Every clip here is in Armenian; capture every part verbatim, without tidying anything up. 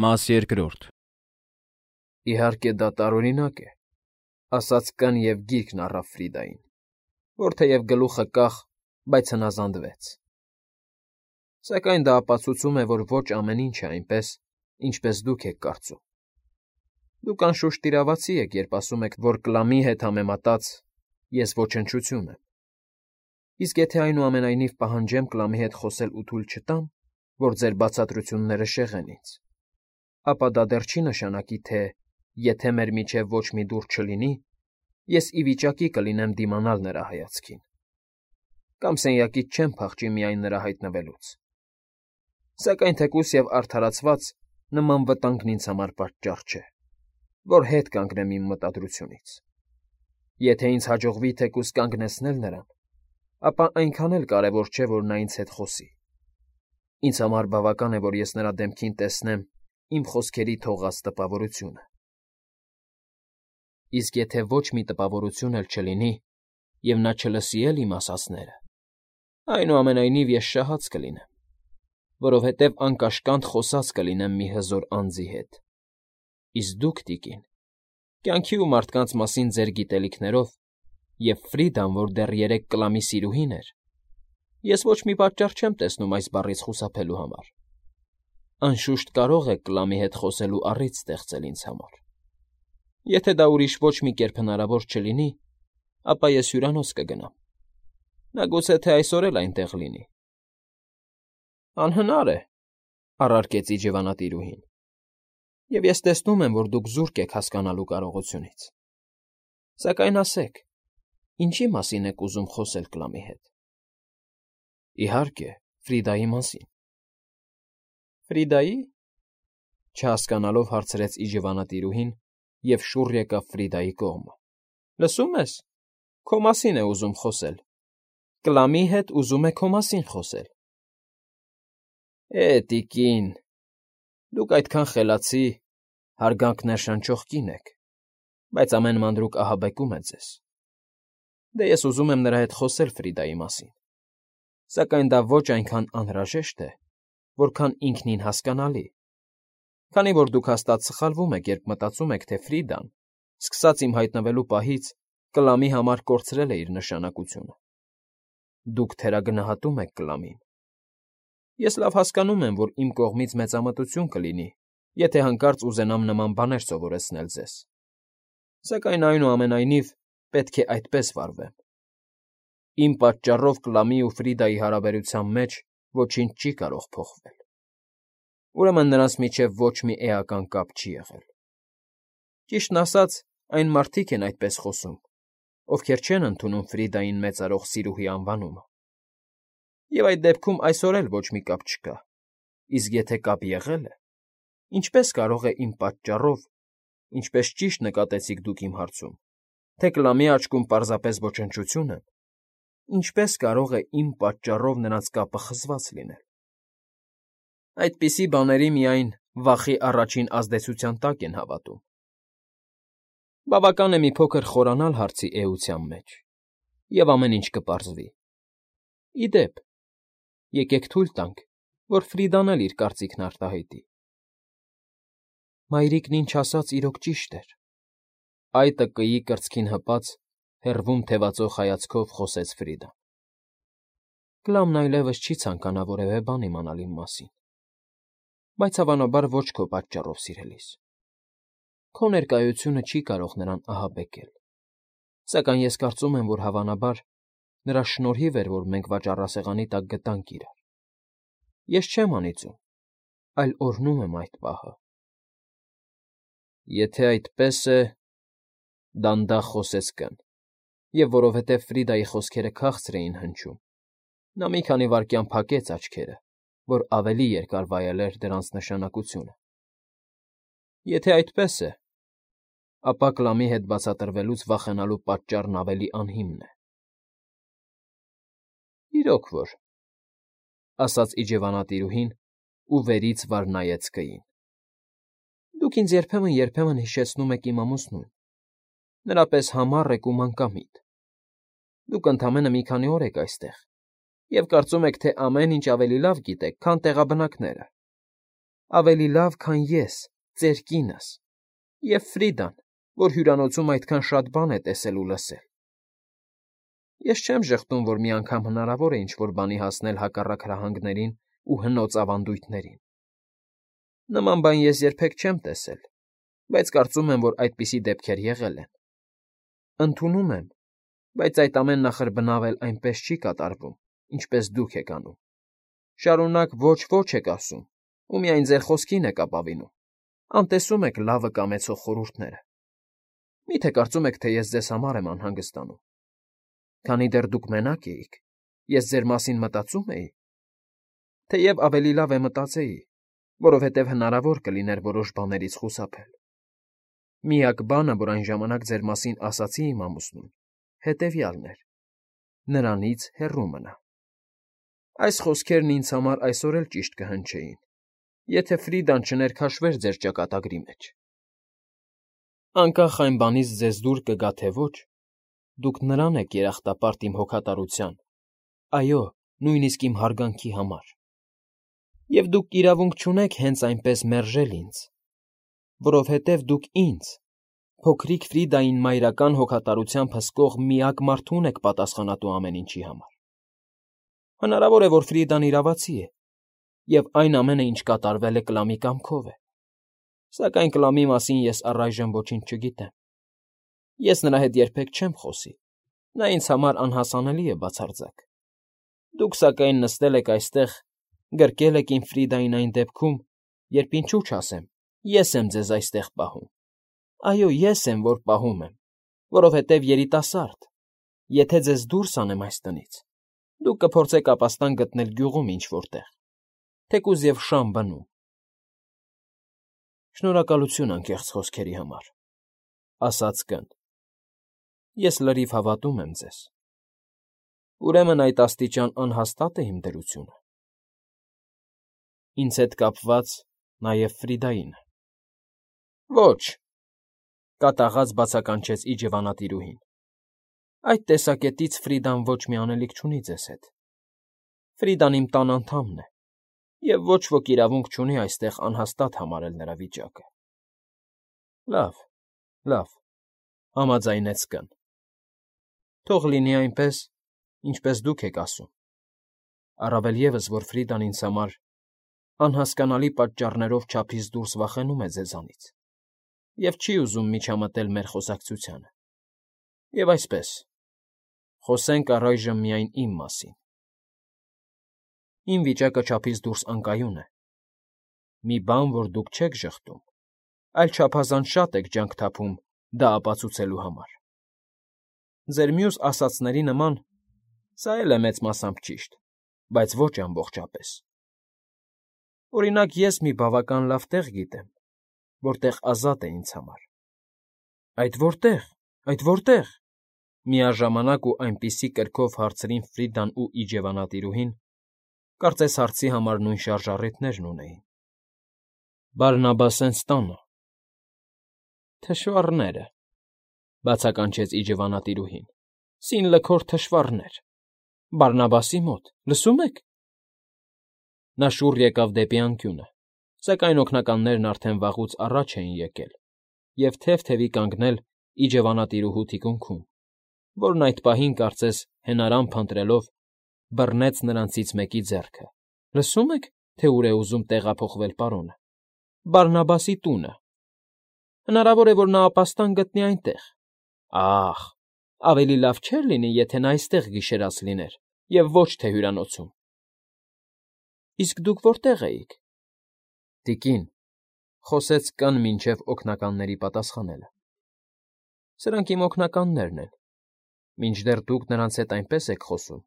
Մաս երկրորդ Իհարկե դա տարօրինակ է, ասաց կն և գիրկն առավ Ֆրիդային, որ թեև գլուխը կախ, բայց հնազանդվեց. Սակայն դա ապացուցում է, որ ոչ ամեն ինչ է այնպես, ինչպես դուք եք կարծում. Դուք անշուշտ տիրավացի եք, երբ ասում եք, որ Կլամի հետ համեմատած ես ոչնչություն եմ, իսկ եթե այնուամենայնիվ պահանջեմ Կլամի հետ խոսել ու թույլ չտամ, որ ձեր բացատրությունները շեղեն ինձ, ապա դա դեռ չի նշանակի, թե եթե մեր միջև ոչ մի դուռ չլինի, ես ի վիճակի կլինեմ դիմանալ նրա հայացքին, կամ սենյակից չեմ փախչի միայն նրա հայտնվելուց, սակայն թեկուզ և արդարացված նման վտանգն ինձ համար պատճառ չէ, որ հետ կանգնեմ իմ մտադրությունից. եթե ինձ հաջողվի թեկուզ կանգնեցնել նրան, ապա այնքան էլ կարևոր չէ, որ նա ինձ հետ խոսի. ինձ համար բավական է, որ ես նրա դեմքին տեսնեմ իմ խոսքերի թողած տպավորությունը. իսկ եթե ոչ մի տպավորություն էլ չլինի, և նա չլսի էլ իմ ասածները, այնուամենայնիվ ես շահած կլինեմ, որովհետև անկաշկանդ խոսած կլինեմ մի հզոր անձի հետ, իսկ դուք, տիկին, կյանքի ու մարդկանց մասին ձեր գիտելիքներով և Ֆրիդան, որ դեռ երեկ Կլամի սիրուհին էր, ես ոչ մի պատճառ չեմ տեսնում այս բառից խուսափելու համար, անշուշտ կարող եք Կլամի հետ խոսելու առիթ ստեղծել ինձ համար. եթե դա ուրիշ ոչ մի կերպ հնարավոր չլինի, ապա ես հյուրանոց կգնամ, նա գուցե թե այսօր էլ այնտեղ լինի։ ֊ Անհնար է,֊ առարկեց իջևանատիրուհին,֊ և ես տեսնում եմ, որ դուք զուրկ եք հասկանալու կարողությունից, սակայն ասեք, ինչի՞ մասին եք ուզում խոսել Կլամի հետ։ ֊ Իհարկե, Ֆրիդայի մասին։ ֊ Ֆրիդայի՞, չհասկանալով հարցրեց իջևանատիրուհին և շուռ եկավ Ֆրիդայի կողմը։ ֊ Լսում ես, քո մասին է ուզում խոսել, Կլամի հետ ուզում է քո մասին խոսել։ ֊ Է՜, տիկին, դուք այդքան խելացի, հարգանք ներշնչող կին եք, բայց ամեն մանրուք ահաբեկում է ձեզ։ Դե ես ուզում եմ նրա հետ խոսել Ֆրիդայի մասին, սակայն դա ոչ այնքան անհրաժեշտ է, որքան ինքնին հասկանալի, քանի որ դուք հաստատ սխալվում եք, երբ մտածում եք, թե Ֆրիդան, սկսած իմ հայտնվելու պահից, Կլամի համար կորցրել է իր նշանակությունը։ Դուք թերագնահատում եք Կլամին։ Ես լավ հասկանում եմ, որ իմ կողմից մեծամտություն կլինի, եթե հանկարծ ուզենամ նման բաներ սովորեցնել ձեզ, սակայն այնուամենայնիվ պետք է այդպես վարվեմ։ Իմ պատճառով Կլամի ու Ֆրիդայի հարաբերության մեջ ոչինչ չի կարող փոխվել։ Ուրեմն նրանց միջև ոչ մի էական կապ չի եղել։ Ճիշտն ասած, այն մարդիկ են այդպես խոսում, ովքեր չեն ընդունում Ֆրիդային մեծարող սիրուհի անվանումը։ Եվ այդ դեպքում այսօր էլ ոչ մի կապ չկա, իսկ եթե կապ եղել է, ինչպե՞ս կարող է իմ պատճառով, ինչպես ճիշտ նկատեցիք դուք իմ հարցում, թե Կլամի աչքում պարզապես ոչնչություն եմ, ինչպե՞ս կարող է իմ պատճառով նրանց կապը խզված լինել։ Այդպիսի բաների միայն վախի առաջին ազդեցության տակ են հավատում։ Բավական է մի փոքր խորանալ հարցի էության մեջ, և ամեն ինչ կպարզվի։ Ի դեպ, եկեք թույլ տանք, որ Ֆրիդան էլ իր կարծիքն արտահայտի։ Մայրիկն ինչ ասաց իրոք ճիշտ էր,֊ այտը կգի կրծքին հպած, հեռվում թևածող հայացքով խոսեց Ֆրիդան։ Կլամն այլևս չի ցանկանա որևէ բան իմանալ իմ մասին, բայց հավանաբար ոչ քո պատճառով, սիրելիս։ Քո ներկայությունը չի կարող նրան ահաբեկել, սակայն ես կարծում եմ, որ հավանաբար նրա շնորհիվ էր, որ մենք վաճառասեղանի տակ գտանք իրար։ Ես չեմ անիծում, այլ օրհնում եմ այդ պահը։ ֊ Եթե այդպես է,֊ դանդաղ խոսեց կն, և որովհետև Ֆրիդայի խոսքերը քաղցր էին հնչում, նա մի քանի վայրկյան փակեց աչքերը, որ ավելի երկար վայելեր դրանց նշանակությունը։ ֊ Եթե այդպես է, ապա Կլամի հետ բացատրվելուց վախենալու պատճառն ավելի անհիմն է։ ֊ Իրոք որ,֊ ասաց իջևանատիրուհին ու վերից վար նայեց կգին,֊ դուք ինձ երբեմն֊երբեմն հիշեցնում եք իմ ամուսնուն, նրա պես համառ եք ու մանկամիտ։ Դուք ընդամենը մի քանի օր եք այստեղ և կարծում եք, թե ամեն ինչ ավելի լավ գիտեք, քան տեղաբնակները։ ավելի լավ, քան ես, ծեր կինս, և Ֆրիդան, որ հյուրանոցում այդքան շատ բան է տեսել ու լսել։ Ես չեմ ժխտում, որ մի անգամ հնարավոր է ինչ֊որ բանի հասնել հակառակ հրահանգներին ու հնոց ավանդույթներին։ Նման բան ես երբեք չեմ տեսել, բայց կարծում եմ, որ այդպիսի դեպքեր եղել են։ Ընդունում եմ, բայց այդ ամեն նախրբնավ էլ այնպես չի կատարվում, ինչպես դուք եք անում։ Շարունակ ոչ֊ոչ եք ասում, ու միայն ձեր խոսքին եք ապավինում, անտեսում եք լավը կամեցող խորհուրդները։ Մի՞թե կարծում եք, թե ես ձեզ համար եմ անհանգստանում։ Քանի դեռ դուք մենակ էիք, ես ձեր մասին մտածում էի։ Թեև ավելի լավ է մտածեի, որովհետև հնարավոր կլիներ որոշ բաներից խուսափել։ Միակ բանը, որ այն ժամանակ ձեր մասին ասացի իմ ամուսնուն, հետևյալն էր. նրանից հեռու մնա։ Այս խոսքերն ինձ համար այսօր էլ ճիշտ կհնչեին, եթե Ֆրիդան չներքաշվեր ձեր ճակատագրի մեջ։ Անկախ այն բանից ձեզ դուր կգա, թե ոչ, դուք նրան եք երախտապարտ իմ հոգատարության, այո, նույնիսկ իմ հարգանքի համար։ Եվ դուք իրավունք չունեք հենց այնպես մերժել ինձ, որովհետև դուք ինձ, փոքրիկ Ֆրիդային մայրական հոգատարությամբ հսկող միակ մարդուն եք պատասխանատու ամեն ինչի համար։ Հնարավոր է, որ Ֆրիդան իրավացի է, և այն ամենը, ինչ կատարվել է, կլամի կամքով է, սակայն կլամի մասին ես առայժմ ոչինչ չգիտեմ։ Ես նրա հետ երբեք չեմ խոսի, նա ինձ համար անհասանելի է բացարձակ։ Դուք, սակայն, նստել եք այստեղ, գրկել եք իմ Ֆրիդային այն դեպքում, երբ ինչու չասեմ, ես եմ ձեզ այստեղ պահում։ Այո, ես եմ, որ պահում եմ, որովհետև երիտասարդ, եթե ձեզ դուրս անեմ այս տնից, դուք կփորձեք ապաստան գտնել գյուղում ինչ֊որտեղ, թեկուզ և շան բնում։ Շնորհակալություն անկեղծ խոսքերի համար, ասաց կն։ Ես լրիվ հավատում եմ ձեզ։ Ուրեմն այդ աստիճան անհաստա՞տ է իմ դրությունը։ Ինձ հետ կապված նաև Ֆրիդայինը։ Ոչ, կատաղած բացականչեց իջևանատիրուհին։ Այդ տեսակետից Ֆրիդան ոչ մի անելիք չունի ձեզ հետ։ Ֆրիդան իմ տան անդամն է, և ոչ ոք իրավունք չունի այստեղ անհաստատ համարել նրա վիճակը։ Լավ, լավ, համաձայնեց կն։ Թող լինի այնպես, ինչպես դուք եք ասում։ Առավել ևս, որ Ֆրիդան ինձ համար անհասկանալի պատճառներով չափից դուրս վախենում է ձեզանից և չի ուզում միջամտել մեր խոսակցությանը։ Եվ այսպես, խոսենք առայժմ միայն իմ մասին։ Իմ վիճակը չափից դուրս անկայուն է։ Մի բան, որ դուք չեք ժխտում, այլ չափազանց շատ եք ջանք թափում դա ապացուցելու համար։ Ձեր մյուս ասածների նման սա էլ է մեծ մասամբ ճիշտ, բայց ոչ ամբողջապես։ Օրինակ, ես մի բավական լավ տեղ գիտեմ, որտեղ ազատ է ինձ համար։ Այդ որտե՞ղ, այդ որտե՞ղ։ Միաժամանակ ու այնպիսի կրքով հարցրին Ֆրիդան ու իջևանատիրուհին, կարծես հարցի համար նույն շարժառիթներն ունեին։ Բարնաբասենց տանը։ Թշվառները, բացականչեց իջևանատիրուհին, սին֊լքոր թշվառներ, Բարնաբասի մոտ, լսում եք։ Նա շուռ եկավ դեպի անկյունը, սակայն օգնականներն արդեն վաղուց առաջ էին եկել և թև֊թևի կանգնել իջևանատիրուհու թիկունքում, որն այդ պահին, կարծես հենարան փնտրելով, բռնեց նրանցից մեկի ձեռքը։ Լսում եք, թե ուր է ուզում տեղափոխվել պարոնը։ Բարնաբասի տունը։ Հնարավոր է, որ նա ապաստան գտնի այնտեղ։ Ա՜խ, ավելի լավ չէր լինի, եթե նա այստեղ գիշերած լիներ, և ոչ թե հյուրանոցում։ Իսկ դուք որտե՞ղ էիք։ Տիկին, խոսեց կն մինչև օգնականների պատասխանելը։ Սրանք իմ օգնականներն են։ Մինչդեռ դուք նրանց հետ այնպես եք խոսում,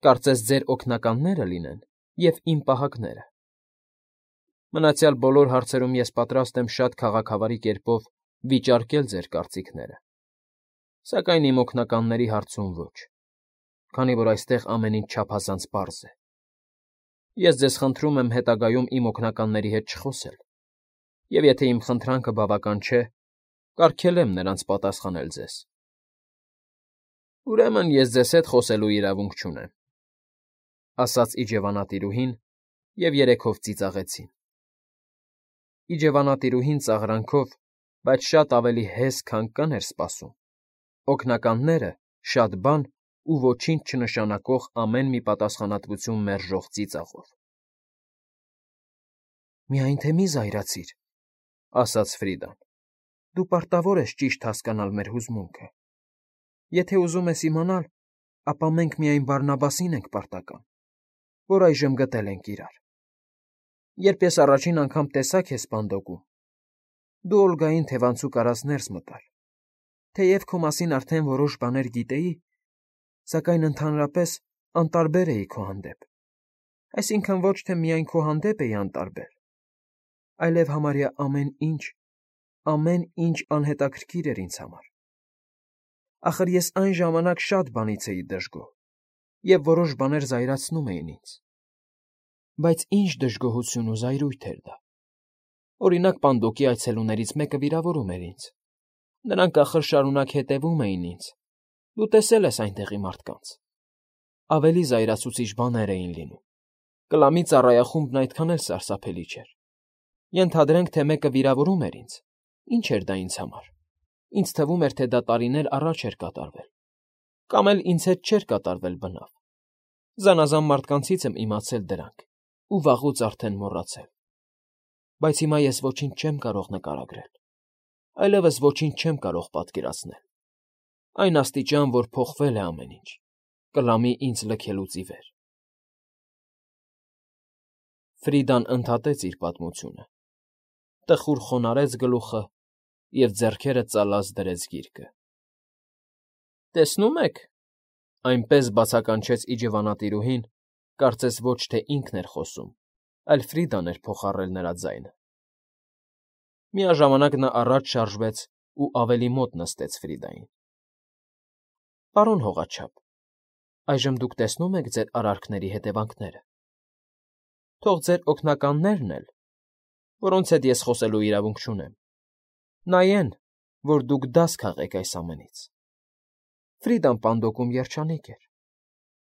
կարծես ձեր օգնականները լինեն և իմ պահակները։ Մնացյալ բոլոր հարցերում ես պատրաստ եմ շատ քաղաքավարի կերպով վիճարկել ձեր կարծիքները, սակայն իմ օգնականների հարցում ոչ, քանի որ այստեղ ամեն ինչ չափազանց պարզ է։ Ես ձեզ խնդրում եմ հետագայում իմ օգնականների հետ չխոսել, և եթե իմ խնդրանքը բավական չէ, կարգելեմ նրանց պատասխանել ձեզ։ Ուրեմն ես ձեզ հետ խոսելու իրավունք չունեմ, ասաց իջևանատիրուհին, և երեքով ծիծաղեցին։ Իջևանատիրուհին ծաղրանքով, բայց շատ ավելի հեզ, քան կն էր սպասում, օգնականները շատ բան ու ոչինչ չնշանակող ամեն մի պատասխանատվություն մերժող ծիծաղով։ ֊ Միայն թե մի զայրացիր,֊ ասաց Ֆրիդան,֊ դու պարտավոր ես ճիշտ հասկանալ մեր հուզմունքը։ Եթե ուզում ես իմանալ, ապա մենք միայն Բարնաբասին ենք պարտական, որ այժմ գտել ենք իրար։ Երբ ես առաջին անգամ տեսա քեզ Սպանդոկում, դու Օլգային թևանցուկ արած ներս մտար, թեև քո մասին արդեն որոշ բաներ գիտեի, սակայն ընդհանրապես անտարբեր էի քո հանդեպ, այսինքն ոչ թե միայն քո հանդեպ էի անտարբեր, այլև համարյա ամեն ինչ, ամեն ինչ անհետաքրքիր էր ինձ համար։ Ախր ես այն ժամանակ շատ բանից էի դժգոհ, և որոշ բաներ զայրացնում էին ինձ։ Բայց ինչ դժգոհություն ու զայրույթ էր դա։ Օրինակ, Պանդոկի այցելուներից մեկը վիրավորում էր ինձ։ Նրանք ախր շարունակ հետևում էին ինձ։ Դու տեսել ես այնտեղի մարդկանց։ Ավելի զայրացուցիչ բաներ էին լինում։ Կլամի ծառայախումբն այդքան էլ սարսափելի չէր։ Ենթադրենք, թե մեկը վիրավորում էր ինձ։ Ինչ էր դա ինձ համար։ Ինձ թվում էր, թե դա տարիներ առաջ էր կատարվել։ Կամ էլ ինձ հետ չէր կատարվել բնավ։ Զանազան մարդկանցից եմ իմացել դրանք ու վաղուց արդեն մոռացել։ Բայց հիմա ես ոչինչ չեմ կարող նկարագրել, այլևս ոչինչ չեմ կարող պատկերացնել։ Այն աստիճան, որ փոխվել է ամեն ինչ, կլամի ինձ լքելուց ի վեր։ Ֆրիդան ընդհատեց իր պատմությունը, տխուր խոնարհեց գլուխը և ձեռքերը ծալած դրեց գիրկը։ Տեսնո՞ւմ եք,֊ այնպես բացականչեց իջևանատիրուհին, կարծես ոչ թե ինքն էր խոսում, այլ Ֆրիդան էր փոխառել նրա ձայնը։ Միաժամանակ նա առաջ շարժվեց ու ավելի մոտ նստեց Ֆրիդային։ Պարոն հողաչափ, այժմ դուք տեսնո՞ւմ եք ձեր արարքների հետևանքները։ Թող ձեր օգնականներն էլ, որոնց հետ ես խոսելու իրավունք չունեմ, նայեն, որ դուք դաս քաղեք այս ամենից։ Ֆրիդան Պանդոկում երջանիկ էր,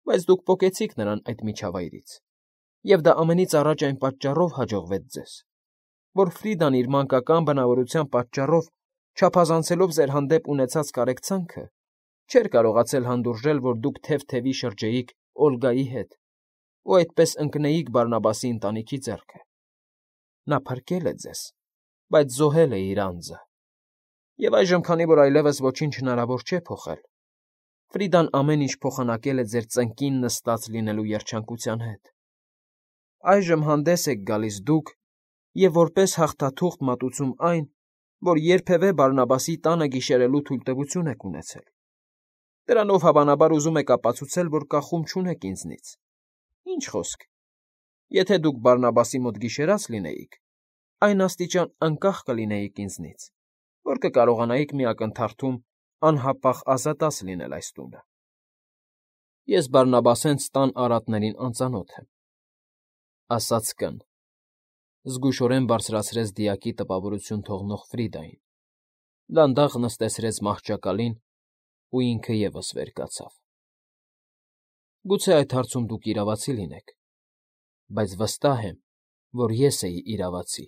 բայց դուք պոկեցիք նրան այդ միջավայրից, և դա ամենից առաջ այն պատճառով հաջողվեց ձեզ, որ Ֆրիդան իր մանկական բնավորության պատճառով, չափազանցելով ձեր հանդեպ ունեցած կարեկցանքը, չէր կարողացել հանդուրժել, որ դուք թև֊թևի շրջեիք Օլգայի հետ ու այդպես ընկնեիք Բարնաբասի ընտանիքի ձեռքը։ Նա փրկել է ձեզ, բայց զոհել է իր անձը։ Եվ այժմ, քանի որ այլևս ոչինչ հնարավոր չէ փոխել, Ֆրիդան ամեն ինչ փոխանակել է ձեր ծնկին նստած լինելու երջանկության հետ։ Այժմ հանդես եք գալիս դուք և որպես հաղթաթուղթ մատուցում այն, որ երբևէ Բարնաբասի տանը գիշերելու թույլտվություն եք ունեցել։ Դրանով հավանաբար ուզում եք ապացուցել, որ կախում չունեք ինձնից։ Ինչ խոսք, եթե դուք Բարնաբասի մոտ գիշերած լինեիք, այն աստիճան անկախ կլինեիք ինձնից, որ կկարողանայիք մի ակնթարթում անհապաղ ազատած լինել այս տունը։ Ես Բարնաբասենց տան արատներին անծանոթ եմ,֊ ասաց կն. զգուշորեն բարձրացրեց դիակի տպավորություն թողնող Ֆրիդային, դանդաղ նստեցրեց մահճակալին ու ինքը ևս վեր կացավ։ Գուցե այդ հարցում դուք իրավացի լինեք, բայց վստահ եմ, որ ես էի իրավացի,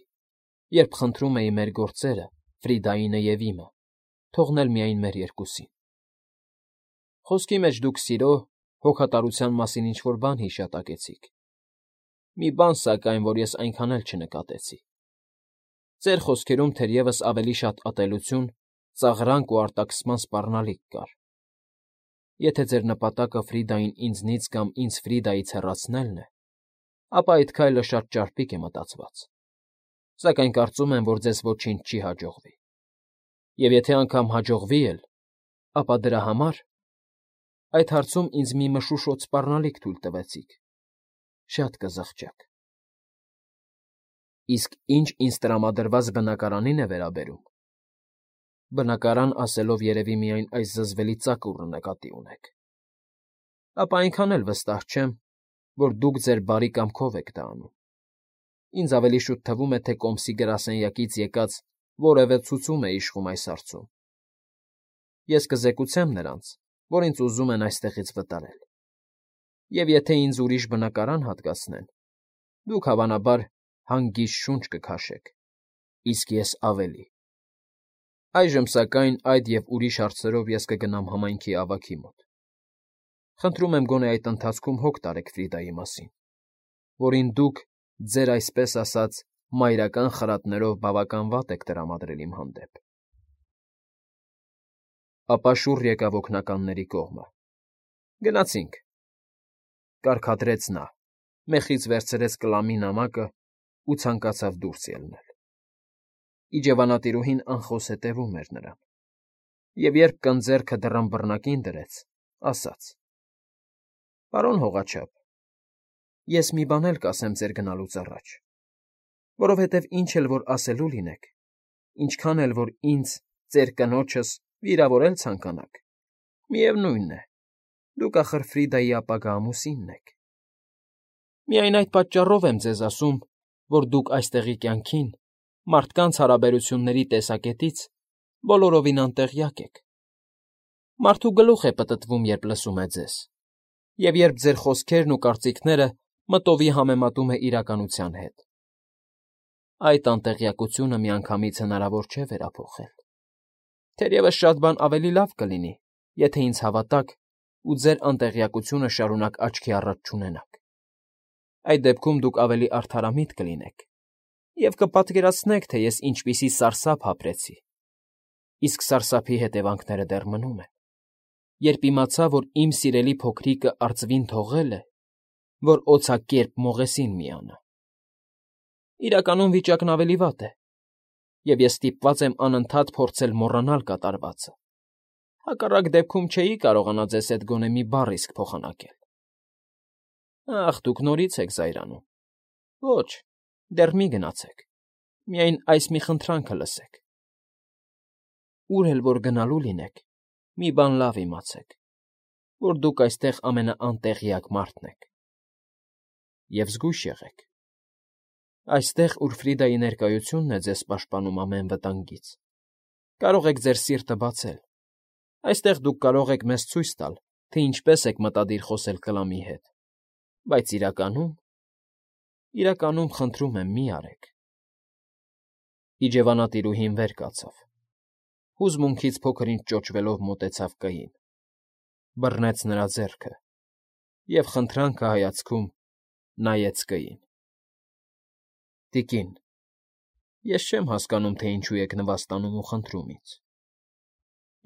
երբ խնդրում էի մեր գործերը, Ֆրիդայինը և իմը, թողնել միայն մեր երկուսին։ Խոսքի մեջ դուք սիրո, հոգատարության մասին ինչ֊որ բան հիշատակեցիք։ Մի բան, սակայն, որ ես այնքան էլ չնկատեցի։ Ձեր խոսքերում թերևս ավելի շատ ատելություն, ծաղրանք ու արտաքսման սպառնալիք կար։ Եթե ձեր նպատակը Ֆրիդային ինձնից կամ ինձ Ֆրիդայից հեռացնելն է, ապա այդ քայլը շատ ճարպիկ է մտածված։ Սակայն կարծում եմ, որ ձեզ ոչինչ չի հաջողվի։ Եվ եթե անգամ հաջողվի էլ, ապա դրա համար այդ հարցում ինձ մի մշուշոտ սպառնալիք թույլ տվեցիք, շատ կզղջաք։ Իսկ ինչ ինձ տրամադրված բնակարանին է վերաբերում, բնակարան ասելով երևի միայն այս զզվելի ծակուռը նկատի ունեք, ապա այնքան էլ վստահ չեմ, որ դուք ձեր բարի կամքով եք դա անում։ Ինձ ավելի շուտ թվում է, թե կոմսի գրասենյակից եկած որևէ ցուցում է իշխում այս հարցում։ Ես կզեկուցեմ նրանց, որ ինձ ուզում են այստեղից վտարել։ Եվ եթե ինձ ուրիշ բնակարան հատկացնեն, դուք, հավանաբար, հանգիստ շունչ կքաշեք իսկ ես ավելի։ Այժմ, սակայն, այդ և ուրիշ հարցերով ես կգնամ համայնքի ավագի մոտ։ Խնդրում եմ գոնե այդ ընթացքում հոգ տարեք Ֆրիդայի մասին, որին դուք, ձեր այսպես ասած, մայրական խրատներով բավական վատ եք տրամադրել իմ հանդեպ։ Ապա շուռ եկավ օգնականների կողմը։ Գնացինք, կարգադրեց նա, մեխից վերցրեց կլամի նամակն ու ցանկացավ դուրս ելնել։ Իջևանատիրուհին անխոս հետևում էր նրան, և երբ կնձեռքը դռան բռնակին դրեց, ասաց. «Պարոն հողաչափ, ես մի բան էլ կասեմ ձեր գնալուց առաջ, որովհետև ինչ էլ որ ասելու լինեք, ինչքան էլ որ ինձ, ձեր կնոջս, վիրավորել ցանկանաք, միևնույն է, դուք, ախր, Ֆրիդայի ապագա ամուսինն եք։ Միայն այդ պատճառով եմ ձեզ ասում, որ դուք այստեղի կյանքին, մարդկանց հարաբերությունների տեսակետից բոլորովին անտեղյակ եք։ Մարդու գլուխ է պտտվում, երբ լսում է ձեզ, և երբ ձեր խոսքերն ու կարծիքները մտովի համեմատում է իրականության հետ։ Այդ անտեղյակությունը միանգամից հնարավոր չէ վերափոխել։ Թերևս շատ բան ավելի լավ կլինի, եթե ինձ հավատաք ու ձեր անտեղյակությունը շարունակ աչքի առաջ չունենաք։ Այդ դեպքում դուք ավելի արդարամիտ կլինեք և կպատկերացնեք, թե ես ինչպիսի սարսափ ապրեցի, իսկ սարսափի հետևանքները դեռ մնում են, երբ իմացա, որ իմ սիրելի փոքրիկը արծվին թողել է, որ օձակերպ մողեսին միանա։ Իրականում վիճակն ավելի վատ է, և ես ստիպված եմ անընդհատ փորձել մոռանալ կատարվածը, հակառակ դեպքում չէի կարողանա ձեզ հետ գոնե մի բառ իսկ փոխանակել։ Ախ, դուք նորից եք զայրանում։ Ոչ, դեռ մի գնացեք, միայն այս մի խնդրանքը լսեք. ուր էլ որ գնալու լինեք, մի բան լավ իմացեք, որ դուք այստեղ ամենաանտեղյակ մարդն եք։ Եվ զգույշ եղեք։ Այստեղ, ուր Ֆրիդայի ներկայությունն է ձեզ պաշտպանում ամեն վտանգից, կարող եք ձեր սիրտը բացել, այստեղ դուք կարող եք մեզ ցույց տալ, թե ինչպես եք մտադիր խոսել կլամի հետ, բայց իրականում… իրականում, խնդրում եմ, մի արեք։ Իջևանատիրուհին վեր կացավ, հուզմունքից փոքր֊ինչ ճոճվելով մոտեցավ կային, բռնեց նրա ձեռքը և խնդրանքը հայացքում նայեց կին։ Տիկին, ես չեմ հասկանում, թե ինչու եք նվաստանում ու խնդրում ինձ։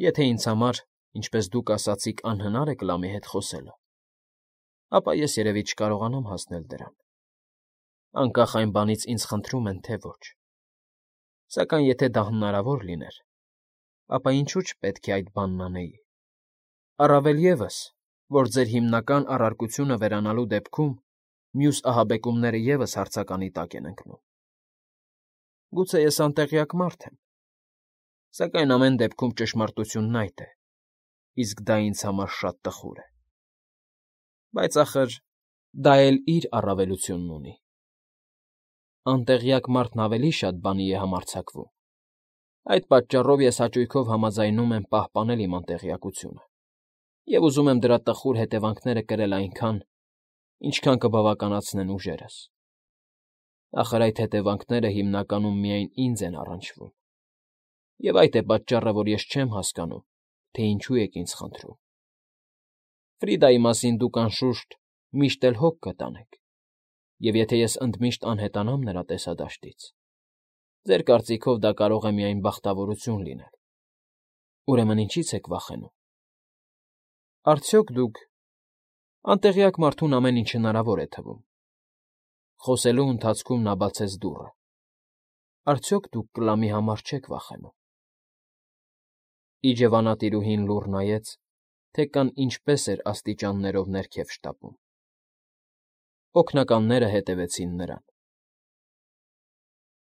Եթե ինձ համար, ինչպես դուք ասացիք, անհնար է կլամի հետ խոսելը, ապա ես երևի չկարողանամ հասնել դրան։ Անկախ այն բանից ինձ խնդրում են, թե ոչ։ Սակայն եթե դա հնարավոր լիներ, ապա ինչու չպետք է այդ բանն անեի։ Առավել ևս, որ ձեր հիմնական առարկությունը վերանալու դեպքում մյուս ահաբեկումները ևս հարցականի տակ են ընկնում։ Գուցե ես անտեղյակ մարդ եմ, սակայն ամեն դեպքում ճշմարտությունն այդ է, իսկ դա ինձ համար շատ տխուր է։ Բայց, ախր, դա էլ իր առավելությունն ունի։ Անտեղյակ մարդն ավելի շատ բանի է համարձակվում։ Այդ պատճառով ես հաճույքով համաձայնում եմ պահպանել իմ անտեղյակությունը և ուզում եմ դրա տխուր հետևանքները կրել այնքան, ինչքան կբավականացնեն ուժերս։ Ախր այդ հետևանքները հիմնականում միայն ինձ են առնչվում, և այդ է պատճառը, որ ես չեմ հասկանում, թե ինչու եք ինձ խնդրում։ Ֆրիդայի մասին դուք, անշուշտ, միշտ էլ հոգ կտանեք, և եթե ես ընդմիշտ անհետանամ նրա տեսադաշտից, ձեր կարծիքով դա կարող է միայն բախտավորություն լինել։ Ուրեմն ինչի՞ց եք վախենում։ Արդյոք դուք… Անտեղյակ մարդուն ամեն ինչ հնարավոր է թվում։ Խոսելու ընթացքում նա բացեց դուռը։ Արդյոք դուք կլամի համար չեք վախենում։ Իջևանատիրուհին լուռ նայեց, թե կան ինչպես էր աստիճաններով ներքև շտապում։ Օգնականները հետևեցին նրան։